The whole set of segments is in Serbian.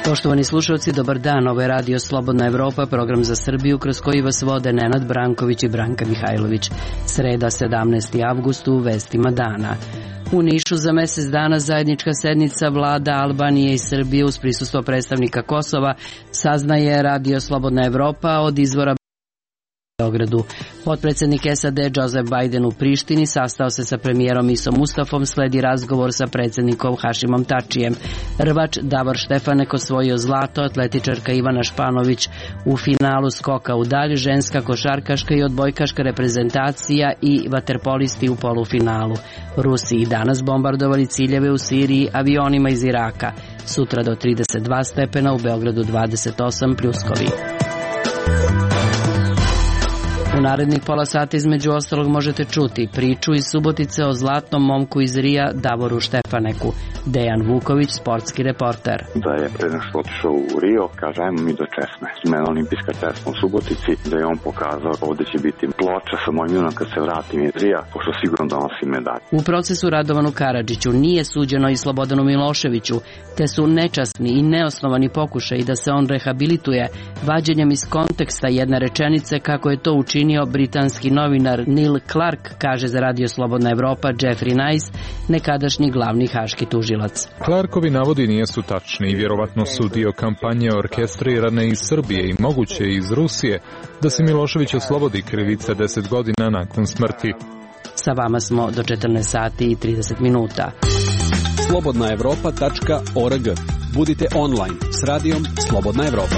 Poštovani slušalci, dobar dan. Ovo je Radio Slobodna Evropa, program za Srbiju kroz koji vas vode Nenad Branković i Branka Mihajlović. Sreda, 17. avgust, u vestima dana. U Nišu za mesec dana zajednička sednica vlada Albanije i Srbije uz prisustvo predstavnika Kosova, saznaje Radio Slobodna Evropa od izvora Beogradu. Potpredsednik SAD Joseph Biden u Prištini sastao se sa premijerom Isom Mustafom, sledi razgovor sa predsednikom Hašimom Tačijem. Rvač Davor Štefanek osvojio zlato, atletičarka Ivana Španović u finalu skoka u dalj, ženska košarkaška i odbojkaška reprezentacija i vaterpolisti u polufinalu. Rusi i danas bombardovali ciljeve u Siriji avionima iz Iraka. Sutra do 32 stepena, u Beogradu 28 pljuskovi. U narednih pola sata između ostalog možete čuti priču iz Subotice o zlatnom momku iz Rija Davoru Štefaneku. Dejan Vuković, sportski reporter. Da je pre nego što otišao u Rio, kaže ajmo mi do česme. Mene olimpijska česma u Subotici, da je on pokazao ovdje će biti ploča sa mojim imenom kad se vratim iz Rija, pošto sigurno donosi medalj. U procesu Radovanu Karadžiću nije suđeno i Slobodanu Miloševiću, te su nečasni i neosnovani pokušaji da se on rehabilituje vađenjem iz konteksta jedne rečenice kako je to učinio britanski novinar Neil Clark, kaže za Radio Slobodna Evropa Jeffrey Nice, nekadašnji glavni haški tužilac. Clarkovi navodi nisu tačni i vjerovatno su dio kampanje orkestrirane iz Srbije i moguće iz Rusije da se Milošević oslobodi krivice 10 godina nakon smrti. Sa vama smo do 14 sati i 30 minuta. slobodnaevropa.org. Budite online s radijom Slobodna Evropa.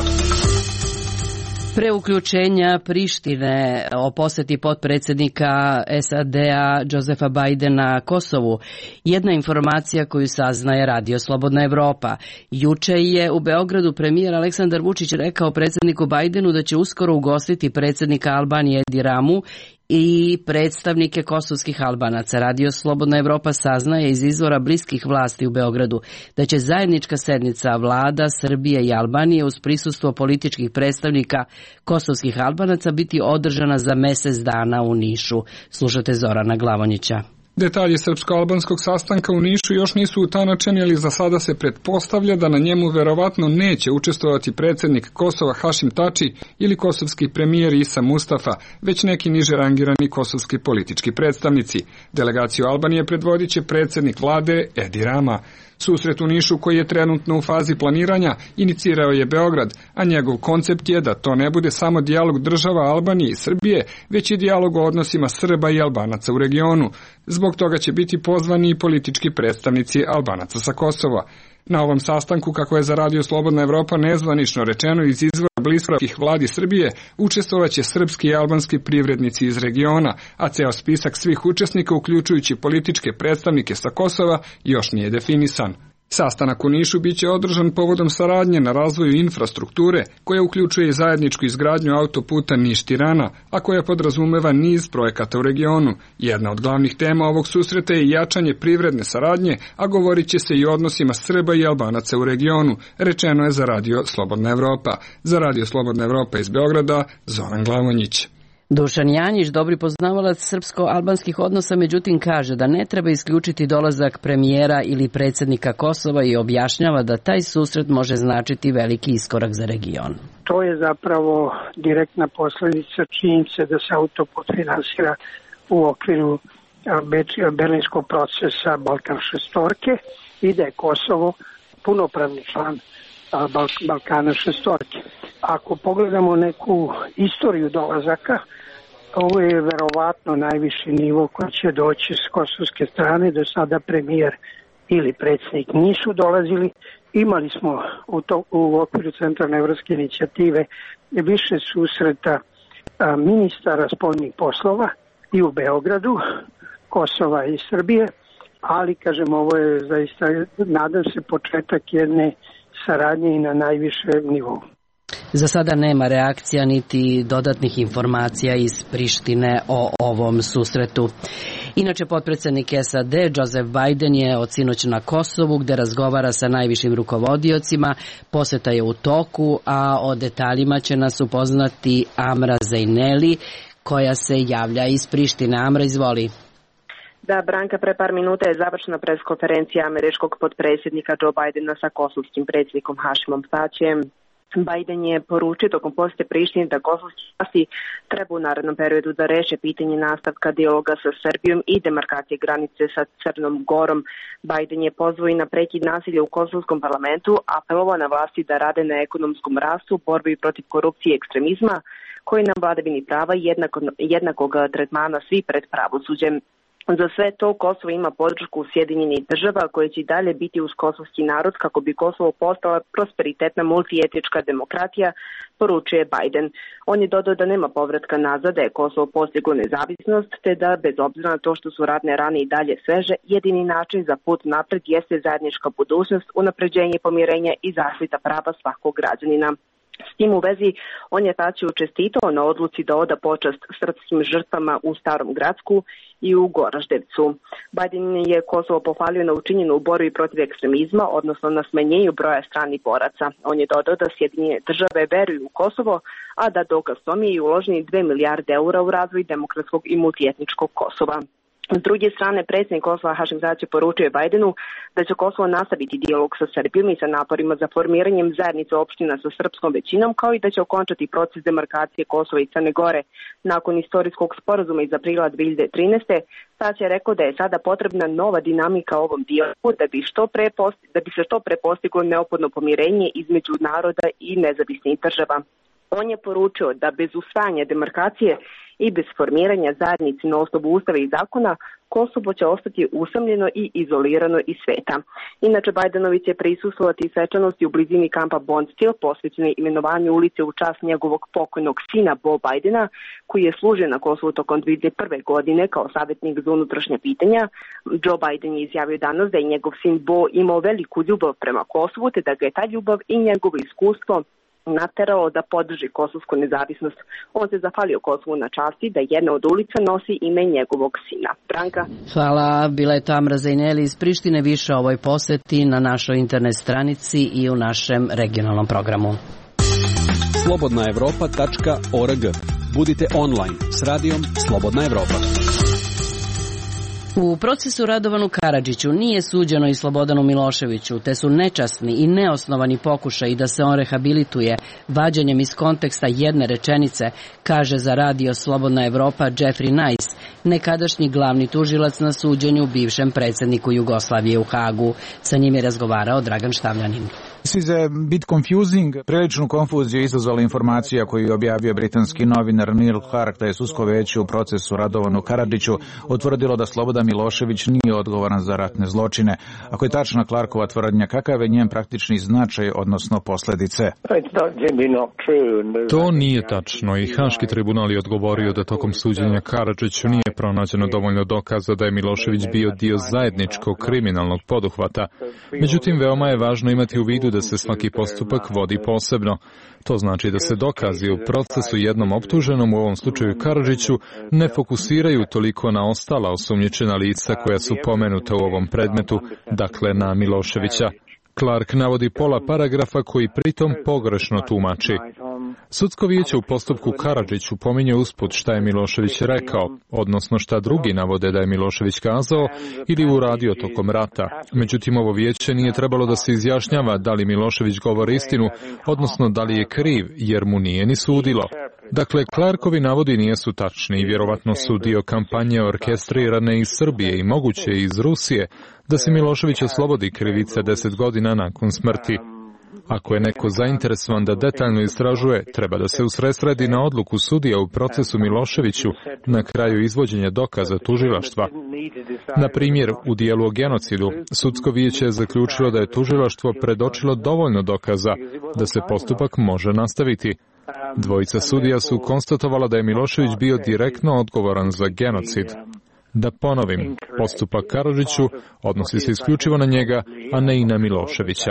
Pre uključenja Prištine o poseti potpredsjednika SAD-a Josefa Bidena Kosovu, jedna informacija koju saznaje Radio Slobodna Evropa. Juče je u Beogradu premijer Aleksandar Vučić rekao predsjedniku Bidenu da će uskoro ugostiti predsjednika Albanije Edi Ramu i predstavnike kosovskih Albanaca. Radio Slobodna Evropa saznaje iz izvora bliskih vlasti u Beogradu da će zajednička sednica vlada Srbije i Albanije uz prisustvo političkih predstavnika kosovskih Albanaca biti održana za mesec dana u Nišu. Slušate Zorana Glavonjića. Detalji srpsko-albanskog sastanka u Nišu još nisu utanačeni, ali za sada se pretpostavlja da na njemu verovatno neće učestvovati predsjednik Kosova Hašim Tači ili kosovski premijer Isa Mustafa, već neki niže rangirani kosovski politički predstavnici. Delegaciju Albanije predvodit će predsjednik vlade Edi Rama. Susret u Nišu, koji je trenutno u fazi planiranja, inicirao je Beograd, a njegov koncept je da to ne bude samo dijalog država Albanije i Srbije, već i dijalog o odnosima Srba i Albanaca u regionu. Zbog toga će biti pozvani i politički predstavnici Albanaca sa Kosova. Na ovom sastanku, kako je za Radio Slobodna Evropa nezvanično rečeno iz izvora bliskih vladi Srbije, učestvovaće srpski i albanski privrednici iz regiona, a ceo spisak svih učesnika, uključujući političke predstavnike sa Kosova, još nije definisan. Sastanak u Nišu biće održan povodom saradnje na razvoju infrastrukture, koja uključuje i zajedničku izgradnju autoputa Niš-Tirana, a koja podrazumeva niz projekata u regionu. Jedna od glavnih tema ovog susreta je jačanje privredne saradnje, a govorit će se i o odnosima Srba i Albanaca u regionu, rečeno je za Radio Slobodna Evropa. Za Radio Slobodna Evropa iz Beograda, Zoran Glavonjić. Dušan Janjić, dobri poznavalac srpsko-albanskih odnosa, međutim kaže da ne treba isključiti dolazak premijera ili predsjednika Kosova i objašnjava da taj susret može značiti veliki iskorak za region. To je zapravo direktna posljedica činjenice da se autoput finansira u okviru berlinskog procesa Balkan šestorke i da je Kosovo punopravni član Balkana šestorke. Ako pogledamo neku istoriju dolazaka, ovo je verovatno najviši nivo koji će doći s kosovske strane. Do sada premijer ili predsjednik nisu dolazili. Imali smo u okviru Centralne evropske inicijative više susreta ministara spoljnih poslova i u Beogradu, Kosova i Srbije, ali kažem ovo je zaista, nadam se, početak jedne saradnje i na najvišem nivou. Za sada nema reakcija niti dodatnih informacija iz Prištine o ovom susretu. Inače, potpredsjednik SAD Joseph Biden je od sinoć na Kosovu gdje razgovara sa najvišim rukovodiocima. Poseta je u toku, a o detaljima će nas upoznati Amra Zejneli, koja se javlja iz Prištine. Amra, izvoli. Da, Branka, pre par minuta je završena preskonferencija američkog potpredsjednika Joe Bidena sa kosovskim predsjednikom Hašimom Tačijem. Biden je poručio tokom posjete Prištini da kosovski vlasti treba u narednom periodu da reše pitanje nastavka dijaloga sa Srbijom i demarkacije granice sa Crnom Gorom. Biden je pozvao i na prekid nasilja u kosovskom parlamentu, apelovao na vlasti da rade na ekonomskom rastu, borbi protiv korupcije i ekstremizma, koji na vladavini prava jednakog tretmana svi pred pravosuđem. Za sve to Kosovo ima podršku Sjedinjenih država koje će i dalje biti uz kosovski narod kako bi Kosovo postala prosperitetna multietnička demokratija, poručuje Biden. On je dodao da nema povratka nazad, da je Kosovo postiglo nezavisnost, te da bez obzira na to što su ratne rane i dalje sveže, jedini način za put napred jeste zajednička budućnost, unapređenje pomirenja i zaštita prava svakog građanina. S tim u vezi, on je Tačiju čestitao na odluci da oda počast srpskim žrtvama u Starom Gracku i u Goraždevcu. Biden je Kosovo pohvalio na učinjenu u borbi protiv ekstremizma, odnosno na smanjenju broja stranih boraca. On je dodao da Sjedinjene države veruju u Kosovo, a da dokaz tome je uloženi 2 milijarde eura u razvoj demokratskog i multietničkog Kosova. S druge strane, predsjednik Kosova Hašim Tači poručuje Bidenu da će Kosovo nastaviti dijalog sa Srbijom i sa naporima za formiranjem zajednice opština sa srpskom većinom, kao i da će okončati proces demarkacije Kosova i Crne Gore. Nakon istorijskog sporazuma iz aprila 2013. Tači je rekao da je sada potrebna nova dinamika ovom dijalogu da bi se što pre postiglo neophodno pomirenje između naroda i nezavisnih država. On je poručio da bez usvajanja demarkacije i bez formiranja zajednice na osnovu ustava i zakona, Kosovo će ostati usamljeno i izolirano iz sveta. Inače, Bidenović će prisustvovati svečanosti u blizini kampa Bondsteel, posvećene imenovanju ulice u čast njegovog pokojnog sina Bo Bidena, koji je služio na Kosovu tokom 2001. godine kao savjetnik za unutrašnja pitanja. Joe Biden je izjavio danas da je njegov sin Bo imao veliku ljubav prema Kosovu, te da ga je ta ljubav i njegovo iskustvo naterao da podrži kosovsku nezavisnost. On se zahvalio Kosovu na časti da jedna od ulica nosi ime njegovog sina. Branka. Hvala, bila je to Amra Zajneli iz Prištine. Više o ovoj poseti na našoj internet stranici i u našem regionalnom programu. slobodnaevropa.org. Budite online s radijom Slobodna Evropa. U procesu Radovanu Karadžiću nije suđeno i Slobodanu Miloševiću, te su nečasni i neosnovani pokušaji da se on rehabilituje vađenjem iz konteksta jedne rečenice, kaže za radio Slobodna Evropa Jeffrey Nice, nekadašnji glavni tužilac na suđenju bivšem predsjedniku Jugoslavije u Hagu. Sa njim je razgovarao Dragan Štavljanin. This is a bit confusing. Priličnu konfuziju izazvala informacija koju je objavio britanski novinar Neil Clark da je sudsko veće u procesu Radovanu Karadžiću utvrdilo da Slobodan Milošević nije odgovoran za ratne zločine. Ako je tačna Clarkova tvrdnja, kakav je njen praktični značaj, odnosno posljedice? To nije tačno i Haški tribunal je odgovorio da tokom suđenja Karadžiću nije pronađeno dovoljno dokaza da je Milošević bio dio zajedničkog kriminalnog poduhvata. Međutim, veoma je važno imati u vidu da se svaki postupak vodi posebno. To znači da se dokazi u procesu jednom optuženom, u ovom slučaju Karadžiću, ne fokusiraju toliko na ostala osumnjičena lica koja su pomenuta u ovom predmetu, dakle na Miloševića. Clark navodi pola paragrafa koji pritom pogrešno tumači. Sudsko vijeće u postupku Karadžiću pominje usput šta je Milošević rekao, odnosno šta drugi navode da je Milošević kazao ili uradio tokom rata. Međutim, ovo vijeće nije trebalo da se izjašnjava da li Milošević govori istinu, odnosno da li je kriv, jer mu nije ni sudilo. Dakle, Clarkovi navodi nijesu tačni i vjerovatno su dio kampanje orkestrirane iz Srbije i moguće iz Rusije da se Milošević oslobodi krivice 10 godina nakon smrti. Ako je neko zainteresovan da detaljno istražuje, treba da se usredsredi na odluku sudija u procesu Miloševiću na kraju izvođenja dokaza tužilaštva. Na primjer, u dijelu o genocidu, sudsko vijeće je zaključilo da je tužilaštvo predočilo dovoljno dokaza da se postupak može nastaviti. Dvojica sudija su konstatovala da je Milošević bio direktno odgovoran za genocid. Da ponovim, postupak Karadžiću odnosi se isključivo na njega, a ne i na Miloševića.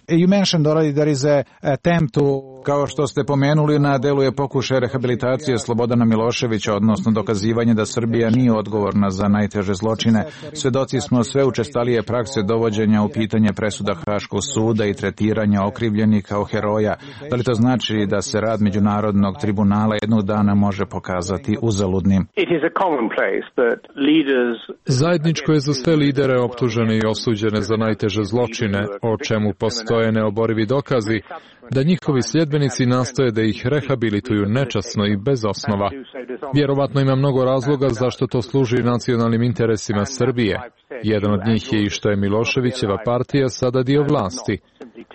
You mentioned already there is an attempt to Kao što ste pomenuli, na delu je pokušaj rehabilitacije Slobodana Miloševića, odnosno dokazivanje da Srbija nije odgovorna za najteže zločine. Svedoci smo sve učestalije prakse dovođenja u pitanje presuda Haškog suda i tretiranja okrivljenih kao heroja. Da li to znači da se rad Međunarodnog tribunala jednog dana može pokazati uzaludnim? Zajedničko je za sve lidere optužene i osuđene za najteže zločine, o čemu postoje neoborivi dokazi, da njihovi sljedbenici nastoje da ih rehabilituju nečasno i bez osnova. Vjerovatno ima mnogo razloga zašto to služi nacionalnim interesima Srbije. Jedan od njih je i što je Miloševićeva partija sada dio vlasti.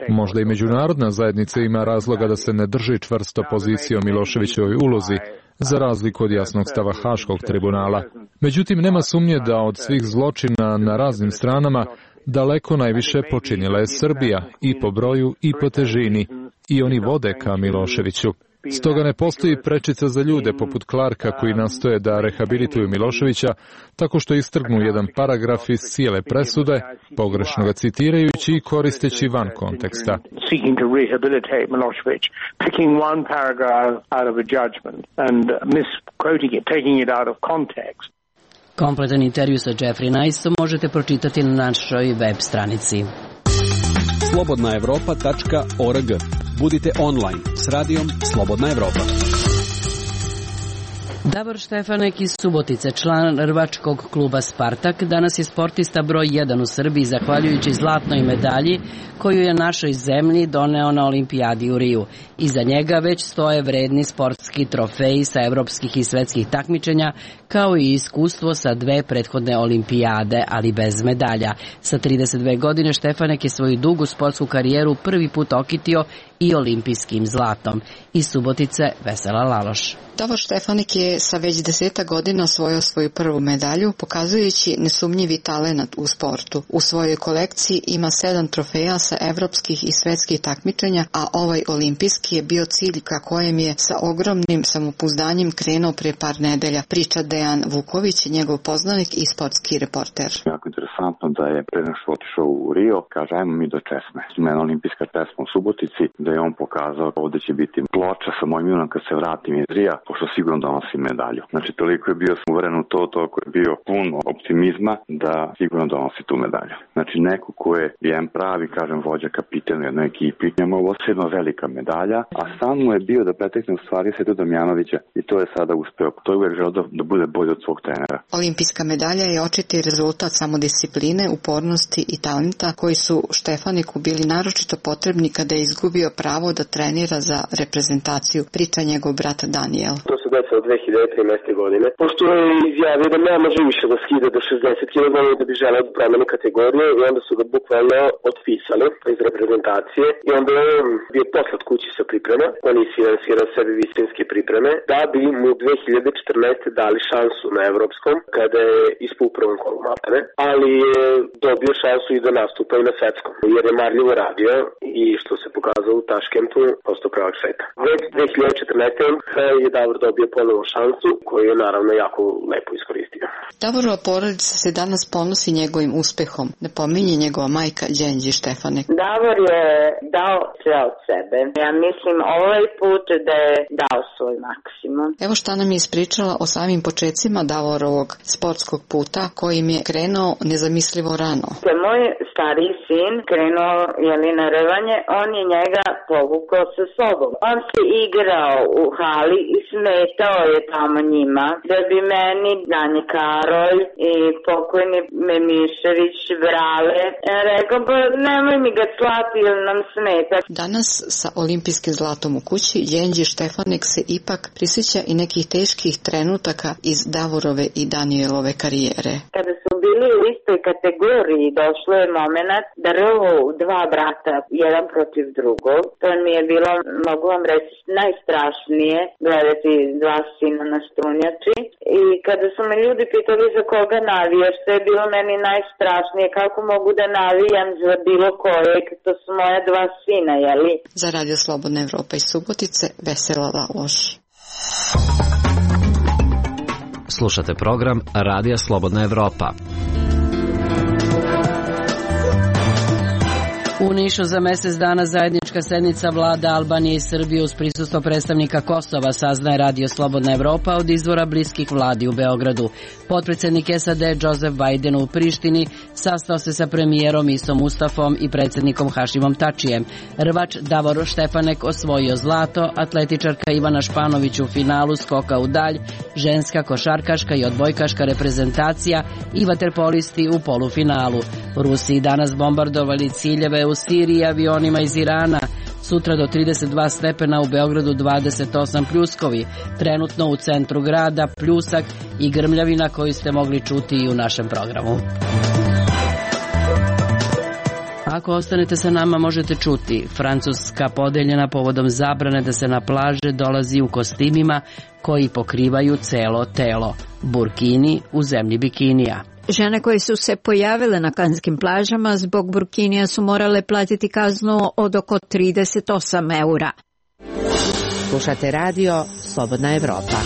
Možda i međunarodna zajednica ima razloga da se ne drži čvrsto pozicije o Miloševićevoj ulozi, za razliku od jasnog stava Haškog tribunala. Međutim, nema sumnje da od svih zločina na raznim stranama daleko najviše počinila je Srbija, i po broju i po težini, i oni vode ka Miloševiću. Stoga ne postoji prečica za ljude poput Clarka koji nastoje da rehabilituju Miloševića tako što istrgnu jedan paragraf iz cijele presude, pogrešno ga citirajući i koristeći van konteksta. Kompletan intervju sa Jeffrey Niceom možete pročitati na našoj web stranici. slobodnaevropa.org. Budite online s radijom Slobodna Evropa. Davor Štefanek iz Subotice, član rvačkog kluba Spartak, danas je sportista broj 1 u Srbiji zahvaljujući zlatnoj medalji koju je našoj zemlji doneo na olimpijadi u Riju. Iza njega već stoje vredni sportski trofeji sa evropskih i svetskih takmičenja, kao i iskustvo sa 2 prethodne olimpijade, ali bez medalja. Sa 32 godine Štefanek je svoju dugu sportsku karijeru prvi put okitio i olimpijskim zlatom. Iz Subotice Vesela Laloš. Davor Štefanek je sa već 10 godina osvojio svoju prvu medalju, pokazujući nesumnjivi talenat u sportu. U svojoj kolekciji ima 7 trofeja sa evropskih i svetskih takmičenja, a ovaj olimpijski je bio cilj ka kojem je sa ogromnim samopouzdanjem krenuo pre par nedelja, priča Dejan Vuković, njegov poznanik i sportski reporter. Jako interesantno da je pre nego što otišao u Rio, kaže ajmo mi do česme. Mena olimpijska česma u Subotici, da je on pokazao ovde će biti ploča sa mojim imenom kad se vratim iz Rija, pošto sigurno donosi medalju. Znači toliko je bio uveren u to, toliko je bio pun optimizma da sigurno donosi tu medalju. Znači neko ko je jedan pravi, kažem, vođa kapitan u jednoj ekipi, njemu je ovo jedna velika medalja, a sam mu je bio da pretekne u stvari Svetu Damjanovića i to je sada uspeo. To je uvek želeo da bude bolji od svog trenera. Olimpijska medalja je očiti rezultat samodiscipline, upornosti i talenta koji su Štefaniku bili naročito potrebni kada je izgubio pravo da trenira za reprezentaciju, priča njegov brat Daniel. To se desilo 2013. godine, pošto je izjavio da ne može više da skida do 60 kg da bi želeo da promeni kategoriju i onda su ga bukvalno otpisali iz reprezentacije i onda je bio poslat kući sa priprema, on je finansirao sebi visinske pripreme, da bi mu 2014. dali šansu na evropskom kada je ispao u prvom kolu maltene, ali je dobio šansu i da nastupa i na svetskom, jer je marljivo radio i što se pokazalo u Taškentu postao prvak sveta. Već 2014. je Davor dobio ponovo šansu koju je naravno jako lepo iskoristio. Davorova porodica se danas ponosi njegovim uspehom, napominje njegova majka Đenđi Štefanek. Davor je dao sve od sebe. Ja mislim ovaj put da je dao svoj maksimum. Evo šta nam je ispričala o samim počecima Davorovog sportskog puta kojim je krenuo nezamislivo rano. Moj stariji sin krenuo na rvanje, on je njega povukao sa sobom. On se igrao u hali i smetao je tamo njima, da bi meni Danje Karolj i pokojni Memišević Vrale rekao, pa nemoj mi ga slati jer nam smeta. Danas sa olimpijskim zlatom u kući Đenđi Štefanek se ipak prisjeća i nekih teških trenutaka iz Davorove i Danielove karijere. Kada su bili u istoj kategoriji, došlo je moment da rvu 2 brata, jedan protiv drugog. To mi je bilo, mogu vam reći, najstrašnije gledati 2 sina na strunjači. I kada su me ljudi pitali za koga navijaš, to je bilo meni najstrašnije. Kako mogu da navijam za bilo kojeg, to su moja 2 sina, jeli? Za Radio Slobodna Evropa iz Subotice, Vesela Laloš. Slušate program Radija Slobodna Evropa. U Nišu za mesec dana zajednička sednica vlada Albanije i Srbije uz prisustvo predstavnika Kosova, saznaje Radio Slobodna Evropa od izvora bliskih vladi u Beogradu. Potpredsednik SAD Joseph Biden u Prištini sastao se sa premijerom Isom Mustafom i predsednikom Hašimom Tačijem. Rvač Davor Štefanek osvojio zlato, atletičarka Ivana Španović u finalu skoka u dalj, ženska košarkaška i odbojkaška reprezentacija i vaterpolisti u polufinalu. Rusi danas bombardovali ciljeve u Siriji avionima iz Irana. Sutra do 32 stepena, u Beogradu 28 pljuskovi. Trenutno u centru grada pljusak i grmljavina koju ste mogli čuti i u našem programu. Ako ostanete sa nama možete čuti: Francuska podeljena povodom zabrane da se na plaže dolazi u kostimima koji pokrivaju celo telo. Burkini u zemlji bikinija. Žene koje su se pojavile na kanskim plažama zbog burkinija su morale platiti kaznu od oko 38 eura. Slušate radio Slobodna Evropa.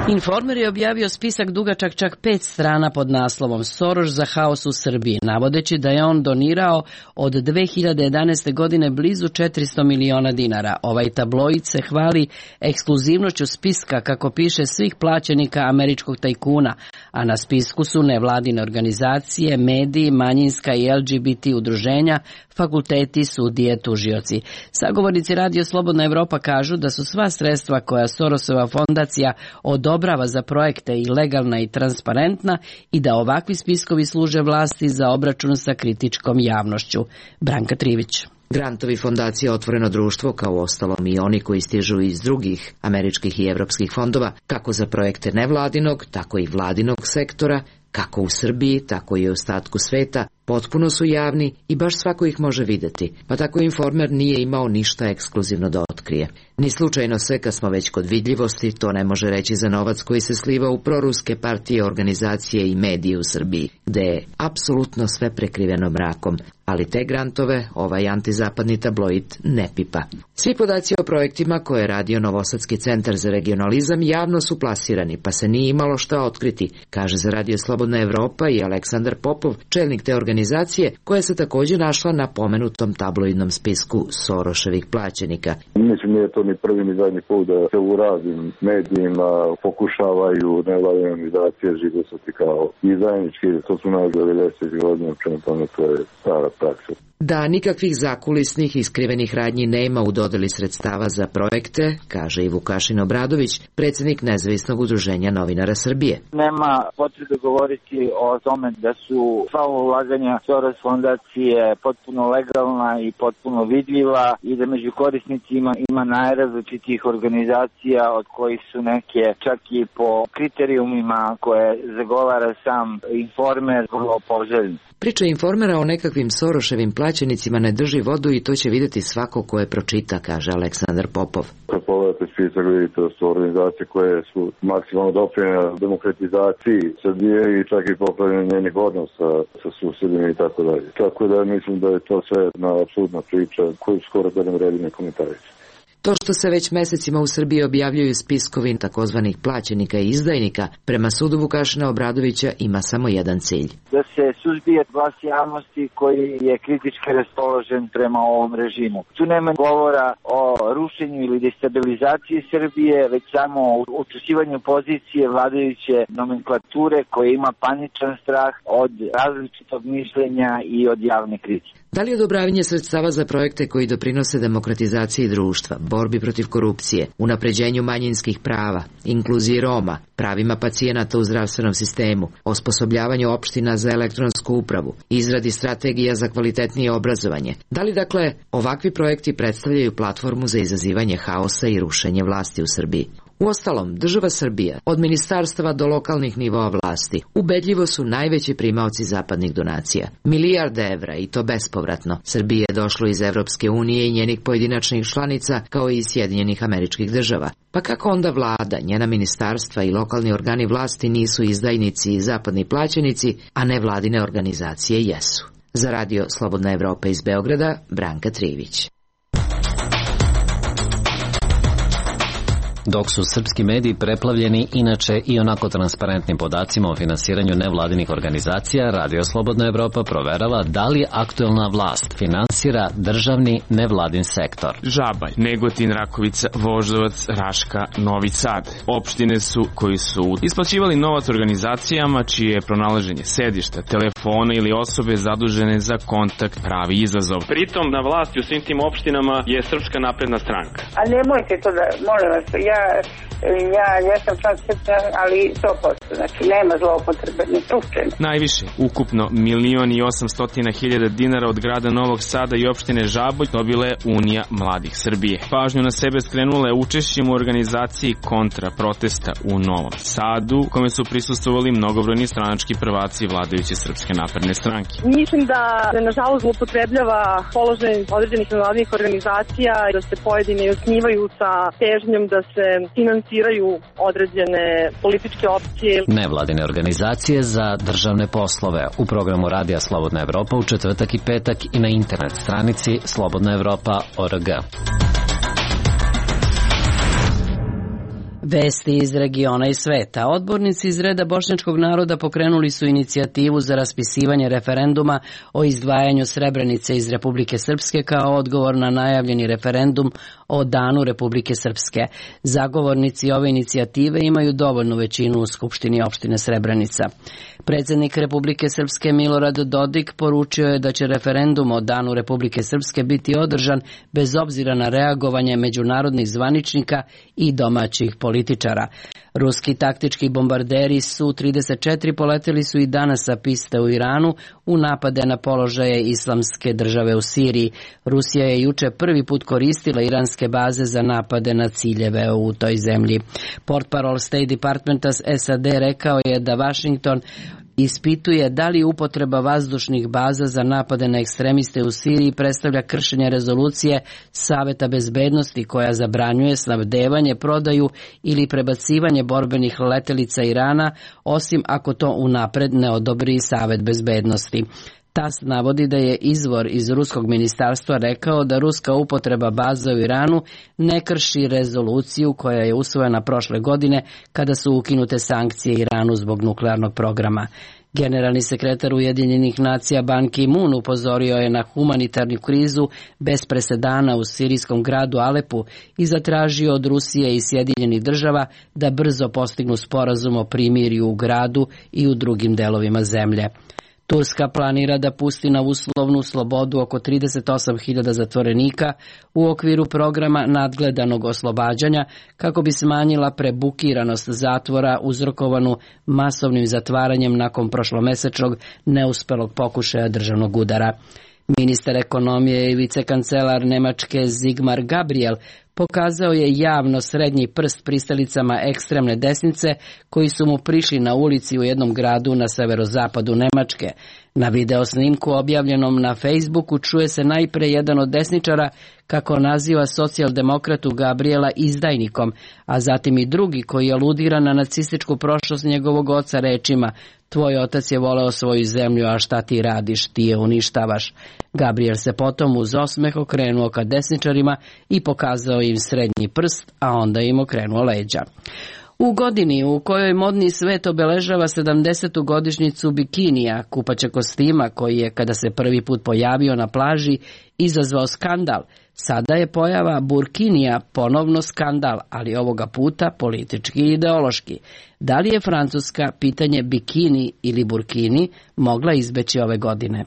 Informer je objavio spisak dugačak čak 5 strana pod naslovom Soroš za haos u Srbiji, navodeći da je on donirao od 2011. godine blizu 400 miliona dinara. Ovaj tabloid se hvali ekskluzivnošću spiska, kako piše, svih plaćenika američkog tajkuna, a na spisku su nevladine organizacije, mediji, manjinska i LGBT udruženja, fakulteti, sudije, tužioci. Sagovornici Radio Slobodna Evropa kažu da su sva sredstva koja Sorosova fondacija odobrava za projekte i legalna i transparentna i da ovakvi spiskovi služe vlasti za obračun sa kritičkom javnošću. Branka Trivić. Grantovi fondacije Otvoreno društvo, kao ostalom i oni koji stižu iz drugih američkih i evropskih fondova, kako za projekte nevladinog, tako i vladinog sektora, kako u Srbiji, tako i u ostatku sveta, potpuno su javni i baš svako ih može videti, pa tako Informer nije imao ništa ekskluzivno da otkrije. Ni slučajno se, kad smo već kod vidljivosti, to ne može reći za novac koji se sliva u proruske partije, organizacije i medije u Srbiji, gde je apsolutno sve prekriveno mrakom, ali te grantove ovaj antizapadni tabloid ne pipa. Svi podaci o projektima koje je radio Novosadski centar za regionalizam javno su plasirani, pa se nije imalo šta otkriti, kaže za Radio Slobodna Evropa i Aleksandar Popov, čelnik te organizacije, koja se također našla na pomenutom tabloidnom spisku Soroševih plaćenika. Mislim, nije to ni prvi ni zadnji put da se u raznim medijima pokušavaju nevladine organizacije žigosati kao izdajnički, to su nas 90 godina, prema tome to je stara praksa. Da nikakvih zakulisnih i skrivenih radnji nema u dodeli sredstava za projekte, kaže i Vukašin Obradović, predsjednik Nezavisnog udruženja novinara Srbije. Nema potrebe govoriti o tome da su sva ulaganja Soros fondacije potpuno legalna i potpuno vidljiva i da među korisnicima ima najrazličitih organizacija, od kojih su neke čak i po kriterijumima koje zagovara sam Informer vrlo poželjni. Priča Informera o nekakvim Soroševim plaćenicima ne drži vodu i to će vidjeti svako ko je pročita, kaže Aleksandar Popov. Kad pogledate spisak, vidite da su organizacije koje su maksimalno doprinjene demokratizaciji Srbije i čak i popravljanje njenih odnosa sa susjedima i tako dalje. Tako da mislim da je to sve jedna apsolutna priča koju skoro da ne vredi ne komentarići. To što se već mesecima u Srbiji objavljuju spiskovi takozvanih plaćenika i izdajnika, prema sudu Vukašina Obradovića ima samo jedan cilj. Da se suzbije glas javnosti koji je kritički raspoložen prema ovom režimu. Tu nema govora o rušenju ili destabilizaciji Srbije, već samo o učvršćivanju pozicije vladajuće nomenklature koja ima paničan strah od različitog mišljenja i od javne kritike. Da li odobravanje sredstava za projekte koji doprinose demokratizaciji društva, borbi protiv korupcije, unapređenju manjinskih prava, inkluziji Roma, pravima pacijenata u zdravstvenom sistemu, osposobljavanju opština za elektronsku upravu, izradi strategija za kvalitetnije obrazovanje? Da li, dakle, ovakvi projekti predstavljaju platformu za izazivanje haosa i rušenje vlasti u Srbiji? Uostalom, država Srbija, od ministarstava do lokalnih nivoa vlasti, ubedljivo su najveći primaoci zapadnih donacija. Milijarde evra, i to bespovratno, Srbije je došlo iz Evropske unije i njenih pojedinačnih članica, kao i iz Sjedinjenih Američkih Država. Pa kako onda vlada, njena ministarstva i lokalni organi vlasti nisu izdajnici i zapadni plaćenici, a ne vladine organizacije jesu? Za Radio Slobodna Evropa iz Beograda, Branka Trivić. Dok su srpski mediji preplavljeni inače i onako transparentnim podacima o finansiranju nevladinih organizacija, Radio Slobodna Evropa proverava da li aktuelna vlast finansira državni nevladin sektor. Žabalj, Negotin, Rakovica, Voždovac, Raška, Novi Sad. Opštine su koji su isplaćivali novac organizacijama čije je pronalaženje sedišta, telefona ili osobe zadužene za kontakt pravi izazov. Pritom na vlasti u svim tim opštinama je Srpska napredna stranka. A nemojte to da, molim vas, ja sam član Srpske, ali 100%, znači nema zloupotrebe, ni slučajno. Najviše, ukupno 1.800.000 dinara od grada Novog Sada i opštine Žabolj dobila je Unija mladih Srbije. Pažnju na sebe skrenula je učešćem u organizaciji kontra protesta u Novom Sadu, kome su prisustvovali mnogobrojni stranački prvaci vladajuće Srpske napredne stranke. Mislim da se nažalost zloupotrebljava položaj određenih nevladinih organizacija i da se pojedine osnivaju sa težnjom da se finansiraju određene političke opcije. Nevladine organizacije za državne poslove u programu Radija Slobodna Evropa u četvrtak i petak i na internet stranici slobodnaevropa.org. Vesti iz regiona i sveta. Odbornici iz reda bošnjačkog naroda pokrenuli su inicijativu za raspisivanje referenduma o izdvajanju Srebrenice iz Republike Srpske kao odgovor na najavljeni referendum o Danu Republike Srpske. Zagovornici ove inicijative imaju dovoljnu većinu u Skupštini opštine Srebrenica. Predsjednik Republike Srpske Milorad Dodik poručio je da će referendum o Danu Republike Srpske biti održan bez obzira na reagovanje međunarodnih zvaničnika i domaćih političara. Ruski taktički bombarderi Su-34 poleteli su i danas sa piste u Iranu u napade na položaje Islamske države u Siriji. Rusija je juče prvi put koristila iranske baze za napade na ciljeve u toj zemlji. Portparol State Departmenta SAD rekao je da Washington ispituje da li upotreba vazdušnih baza za napade na ekstremiste u Siriji predstavlja kršenje rezolucije Saveta bezbednosti koja zabranjuje snabdevanje, prodaju ili prebacivanje borbenih letelica Irana, osim ako to unapred ne odobri Savet bezbednosti. TAS navodi da je izvor iz ruskog ministarstva rekao da ruska upotreba baza u Iranu ne krši rezoluciju koja je usvojena prošle godine kada su ukinute sankcije Iranu zbog nuklearnog programa. Generalni sekretar Ujedinjenih nacija Ban Ki-moon upozorio je na humanitarnu krizu bez presedana u sirijskom gradu Alepu i zatražio od Rusije i Sjedinjenih država da brzo postignu sporazum o primirju u gradu i u drugim delovima zemlje. Turska planira da pusti na uslovnu slobodu oko 38.000 zatvorenika u okviru programa nadgledanog oslobađanja kako bi smanjila prebukiranost zatvora uzrokovanu masovnim zatvaranjem nakon prošlomesečnog neuspelog pokušaja državnog udara. Ministar ekonomije i vicekancelar Nemačke Sigmar Gabriel pokazao je javno srednji prst pristalicama ekstremne desnice koji su mu prišli na ulici u jednom gradu na severozapadu Nemačke. Na video snimku objavljenom na Facebooku čuje se najpre jedan od desničara kako naziva socijaldemokratu Gabriela izdajnikom, a zatim i drugi koji aludira na nacističku prošlost njegovog oca rečima: "Tvoj otac je voleo svoju zemlju, a šta ti radiš, ti je uništavaš." Gabriel se potom uz osmeh okrenuo ka desničarima i pokazao im srednji prst, a onda im okrenuo leđa. U godini u kojoj modni svet obeležava 70. godišnjicu bikinija, kupaćeg kostima koji je, kada se prvi put pojavio na plaži, izazvao skandal, sada je pojava burkinija ponovno skandal, ali ovoga puta politički i ideološki. Da li je Francuska pitanje bikini ili burkini mogla izbeći ove godine?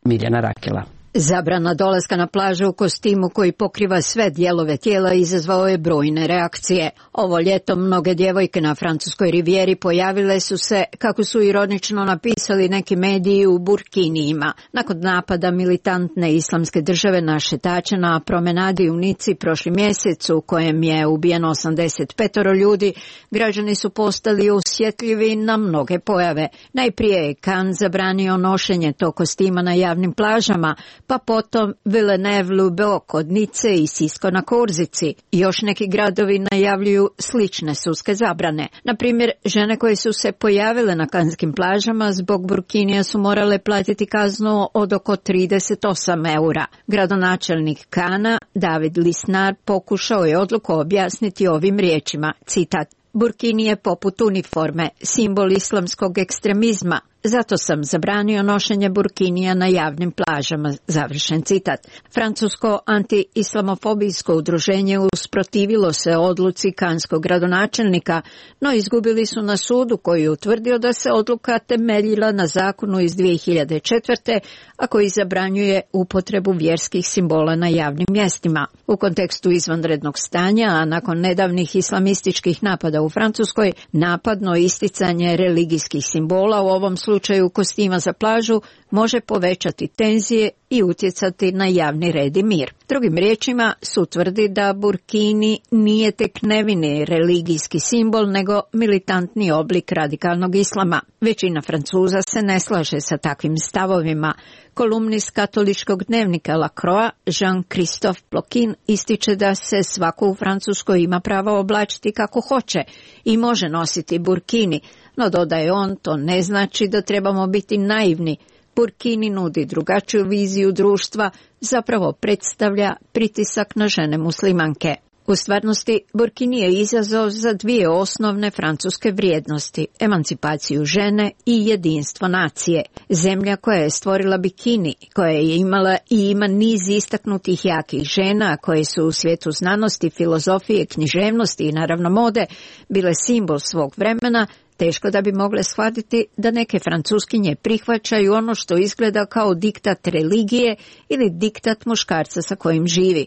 Miljana Rakela. Zabrana dolaska na plažu u kostimu koji pokriva sve dijelove tijela izazvao je brojne reakcije. Ovo ljeto mnoge djevojke na francuskoj rivijeri pojavile su se, kako su ironično napisali neki mediji, u burkinijima. Nakon napada militantne islamske države na šetače na promenadi u Nici prošli mjesec u kojem je ubijeno 85 ljudi, građani su postali osjetljivi na mnoge pojave. Najprije je Cannes zabranio nošenje tog kostima na javnim plažama, pa potom Villeneuve-Loubet kod Nice i Sisko na Korzici. Još neki gradovi najavljuju slične sudske zabrane. Na primjer, žene koje su se pojavile na kanskim plažama zbog burkinija su morale platiti kaznu od oko 38 eura. Gradonačelnik Kana, David Lisnar, pokušao je odluku objasniti ovim riječima, citat: Burkini je poput uniforme, simbol islamskog ekstremizma. Zato sam zabranio nošenje burkinija na javnim plažama, završen citat. Francusko anti-islamofobijsko udruženje usprotivilo se odluci kanskog gradonačelnika, no izgubili su na sudu koji je utvrdio da se odluka temeljila na zakonu iz 2004. a koji zabranjuje upotrebu vjerskih simbola na javnim mjestima. U kontekstu izvanrednog stanja, a nakon nedavnih islamističkih napada u Francuskoj, napadno isticanje religijskih simbola, u ovom slučaju kostima za plažu, može povećati tenzije i utjecati na javni red i mir. Drugim riječima, sud tvrdi da burkini nije tek nevini religijski simbol, nego militantni oblik radikalnog islama. Većina Francuza se ne slaže sa takvim stavovima. Kolumnist katoličkog dnevnika La Croix, Jean-Christophe Ploquin, ističe da se svako u Francuskoj ima pravo oblačiti kako hoće i može nositi burkini, no dodaje on, to ne znači da trebamo biti naivni. Burkini nudi drugačiju viziju društva, zapravo predstavlja pritisak na žene muslimanke. U stvarnosti, burkini je izazov za dvije osnovne francuske vrijednosti, emancipaciju žene i jedinstvo nacije. Zemlja koja je stvorila bikini, koja je imala i ima niz istaknutih jakih žena, koje su u svijetu znanosti, filozofije, književnosti i naravno mode bile simbol svog vremena, teško da bi mogle shvatiti da neke francuskinje prihvaćaju ono što izgleda kao diktat religije ili diktat muškarca sa kojim živi.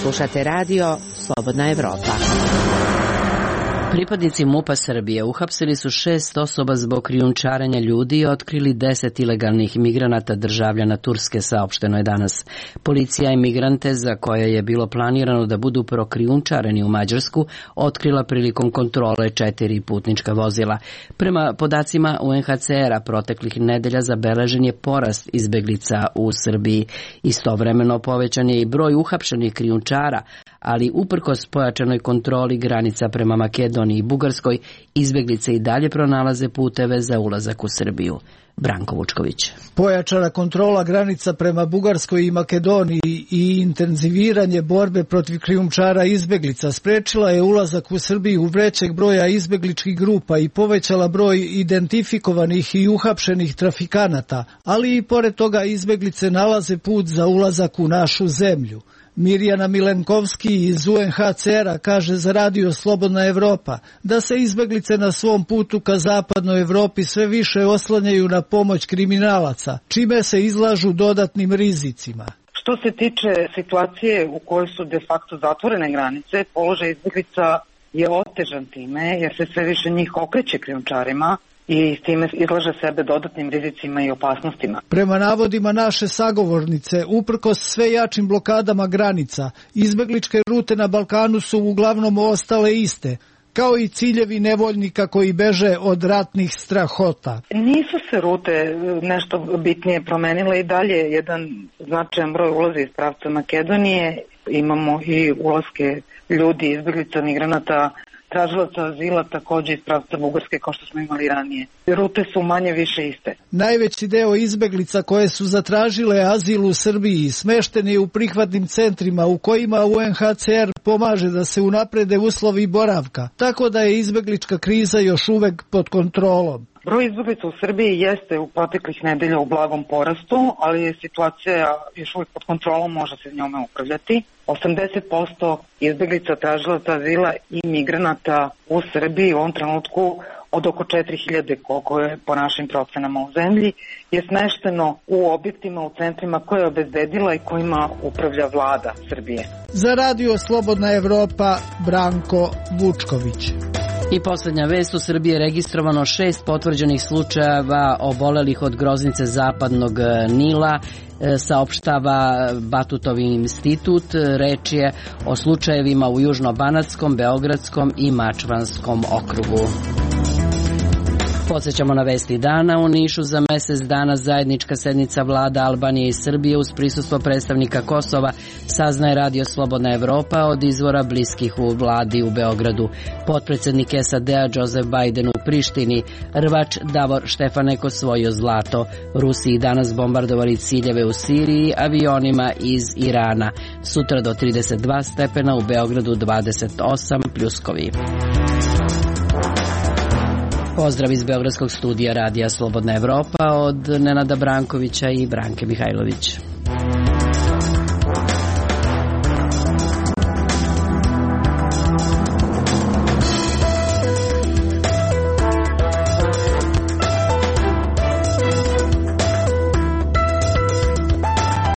Slušate radio Slobodna Evropa. Pripadnici MUP-a Srbije uhapsili su 6 osoba zbog krijumčarenja ljudi i otkrili 10 ilegalnih migranata državljana Turske, saopšteno je danas. Policija je migrante, za koje je bilo planirano da budu prokrijumčareni u Mađarsku, otkrila prilikom kontrole 4 putnička vozila. Prema podacima UNHCR-a, proteklih nedelja zabeležen je porast izbeglica u Srbiji. Istovremeno povećan je i broj uhapšenih krijumčara, ali uprkos pojačanoj kontroli granica prema Makedoniji i Bugarskoj, izbeglice i dalje pronalaze puteve za ulazak u Srbiju. Branko Vučković. Pojačana kontrola granica prema Bugarskoj i Makedoniji i intenziviranje borbe protiv krijumčara izbeglica sprečila je ulazak u Srbiju većeg broja izbegličkih grupa i povećala broj identifikovanih i uhapšenih trafikanata, ali i pored toga izbeglice nalaze put za ulazak u našu zemlju. Mirjana Milenkovski iz UNHCR-a kaže za radio Slobodna Evropa da se izbeglice na svom putu ka zapadnoj Evropi sve više oslanjaju na pomoć kriminalaca, čime se izlažu dodatnim rizicima. Što se tiče situacije u kojoj su de facto zatvorene granice, položaj izbeglica je otežan time jer se sve više njih okreće krijumčarima i s time izlaže sebe dodatnim rizicima i opasnostima. Prema navodima naše sagovornice, uprkos sve jačim blokadama granica, izbegličke rute na Balkanu su uglavnom ostale iste, kao i ciljevi nevoljnika koji beže od ratnih strahota. Nisu se rute nešto bitnije promenile i dalje. Jedan značajan broj ulazi iz pravca Makedonije. Imamo i ulaske ljudi, izbeglica, migranata, tražilaca azila, također iz pravca Bugarske, kao što smo imali ranije. Rute su manje više iste. Najveći deo izbeglica koje su zatražile azil u Srbiji smešten je u prihvatnim centrima u kojima UNHCR pomaže da se unaprede uslovi boravka, tako da je izbeglička kriza još uvek pod kontrolom. Broj izbeglica u Srbiji jeste u proteklih nedelja u blagom porastu, ali je situacija još uvijek pod kontrolom, može se njome upravljati. 80% izbeglica, tražilaca azila i migranata u Srbiji u ovom trenutku od oko 4000, koliko je po našim procenama u zemlji, je smešteno u objektima, u centrima koje je obezbedila i kojima upravlja vlada Srbije. Za radio Slobodna Evropa, Branko Vučković. I posljednja vest, u Srbiji je registrovano 6 potvrđenih slučajeva obolelih od groznice zapadnog Nila, saopštava Batutovi institut. Reč je o slučajevima u Južno-Banatskom, Beogradskom i Mačvanskom okrugu. Podsjećamo na vesti dana. U Nišu za mesec dana zajednička sednica vlada Albanije i Srbije uz prisustvo predstavnika Kosova, saznaje Radio Slobodna Evropa od izvora bliskih u vladi u Beogradu. Potpredsednik SAD-a Joseph Biden u Prištini, rvač Davor Štefanek osvojio zlato. Rusiji danas bombardovali ciljeve u Siriji avionima iz Irana. Sutra do 32 stepena, u Beogradu 28 pljuskovi. Pozdrav iz Beogradskog studija Radija Slobodna Evropa od Nenada Brankovića i Branke Mihajlović.